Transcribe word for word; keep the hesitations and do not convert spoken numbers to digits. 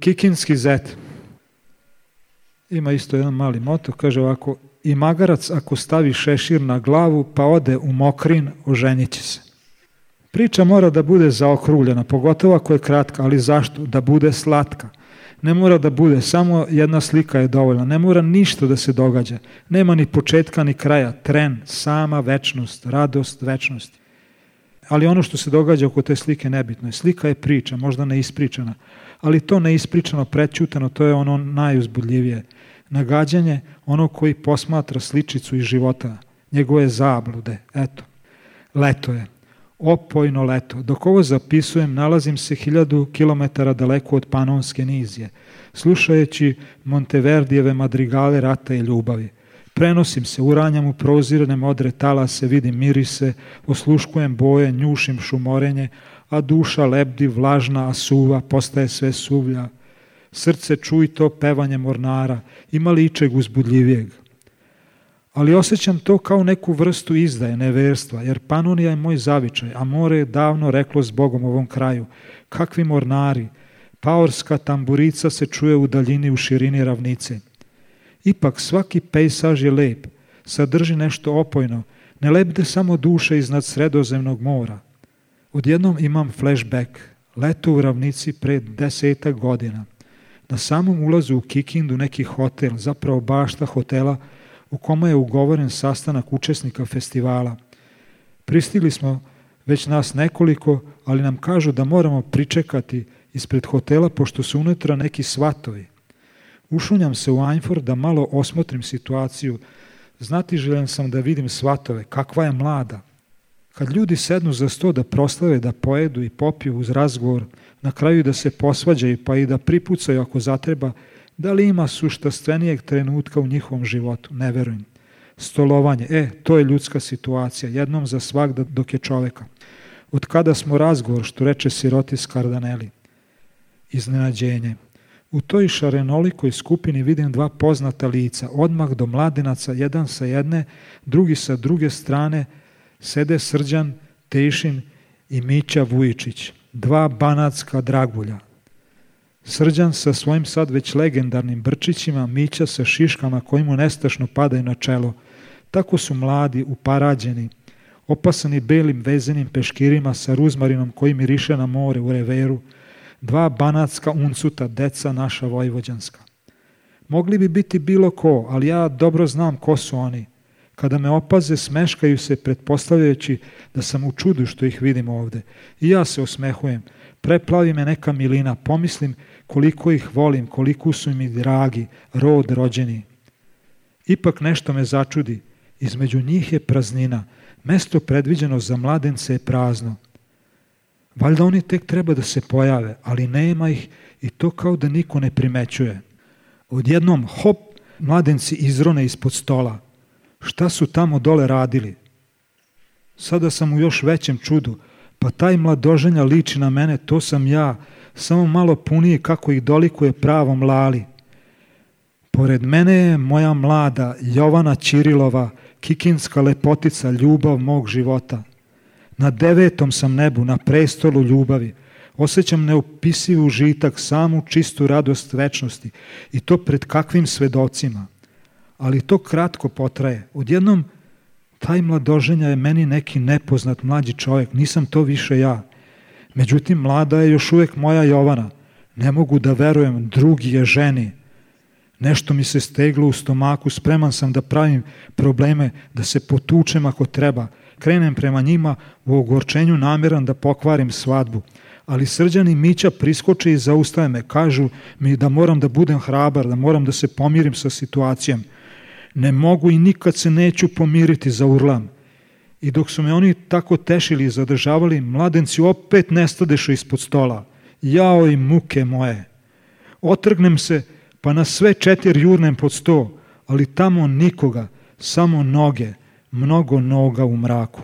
Kikinski zet ima isto jedan mali moto, kaže ovako: i magarac ako stavi šešir na glavu pa ode u Mokrin, oženit će se. Priča mora da bude zaokruljena, pogotovo ako je kratka, ali zašto? Da bude slatka. Ne mora da bude, samo jedna slika je dovoljna, ne mora ništa da se događa, nema ni početka ni kraja, tren, sama večnost, radost večnosti. Ali ono što se događa oko te slike nebitno je. Slika je priča, možda neispričana, ali to neispričano, prećutano, to je ono najuzbudljivije. Nagađanje onog koji posmatra sličicu iz života, njegove zablude. Eto, leto je, opojno leto. Dok ovo zapisujem, nalazim se hiljadu kilometara daleko od Panonske nizije, slušajući Monteverdijeve madrigale rata i ljubavi. Prenosim se, uranjam u prozirne modre talase, vidim mirise, osluškujem boje, njušim šumorenje, a duša lebdi, vlažna, a suva, postaje sve suvlja. Srce čuj to pevanje mornara, ima li ičeg uzbudljivijeg? Ali osjećam to kao neku vrstu izdaje, neverstva, jer Panonija je moj zavičaj, a more je davno reklo s Bogom ovom kraju. Kakvi mornari, paorska tamburica se čuje u daljini, u širini ravnice. Ipak svaki pejsaž je lep, sadrži nešto opojno, ne lebde samo duše iznad Sredozemnog mora. Odjednom imam flashback, leto u ravnici pred desetak godina. Na samom ulazu u Kikindu neki hotel, zapravo bašta hotela, u kome je ugovoren sastanak učesnika festivala. Pristigli smo već nas nekoliko, ali nam kažu da moramo pričekati ispred hotela pošto su unutra neki svatovi. Ušunjam se u Ajnford da malo osmotrim situaciju. Znatiželjan sam da vidim svatove, kakva je mlada. Kad ljudi sednu za sto da proslave, da pojedu i popiju uz razgovor, na kraju da se posvađaju pa i da pripucaju ako zatreba, da li ima suštastvenijeg trenutka u njihovom životu? Ne verujem. Stolovanje, e, to je ljudska situacija, jednom za svagda dok je čoveka. Od kada smo razgovor, što reče sirotis Kardaneli? Iznenađenje. U toj šarenolikoj skupini vidim dva poznata lica, odmah do mladenaca, jedan sa jedne, drugi sa druge strane, sede Srđan Tejšin i Mića Vujičić, dva banatska dragulja. Srđan sa svojim sad već legendarnim brčićima, Mića sa šiškama koji mu nestašno padaju na čelo. Tako su mladi, uparađeni, opasani belim vezenim peškirima sa ruzmarinom koji miriše na more u reveru, dva banatska uncuta, deca naša vojvođanska. Mogli bi biti bilo ko, ali ja dobro znam ko su oni. Kada me opaze, smeškaju se, pretpostavljajući da sam u čudu što ih vidim ovde. I ja se osmehujem. Preplavi me neka milina, pomislim koliko ih volim, koliko su mi dragi, rod rođeni. Ipak nešto me začudi. Između njih je praznina. Mesto predviđeno za mladence je prazno. Valjda oni tek treba da se pojave, ali nema ih i to kao da niko ne primećuje. Odjednom, hop, mladenci izrone ispod stola. Šta su tamo dole radili? Sada sam u još većem čudu. Pa taj mladoženja liči na mene, to sam ja, samo malo puniji kako ih dolikuje pravom Lali. Pored mene je moja mlada Jovana Ćirilova, kikinska lepotica, ljubav mog života. Na devetom sam nebu, na prestolu ljubavi. Osjećam neopisiv užitak, samu čistu radost večnosti i to pred kakvim svedocima. Ali to kratko potraje. Odjednom taj mladoženja je meni neki nepoznat mlađi čovjek, nisam to više ja. Međutim, mlada je još uvijek moja Jovana. Ne mogu da verujem, drugi je ženi. Nešto mi se steglo u stomaku, spreman sam da pravim probleme, da se potučem ako treba. Krenem prema njima u ogorčenju namjeran da pokvarim svadbu. Ali Srđan i Mića priskoče i zaustave me. Kažu mi da moram da budem hrabar, da moram da se pomirim sa situacijom. Ne mogu i nikad se neću pomiriti, zaurlam. I dok su me oni tako tešili i zadržavali, mladenci opet nestadešu ispod stola. Jao i muke moje. Otrgnem se, pa na sve četiri jurnem pod sto, ali tamo nikoga, samo noge, mnogo noga u mraku.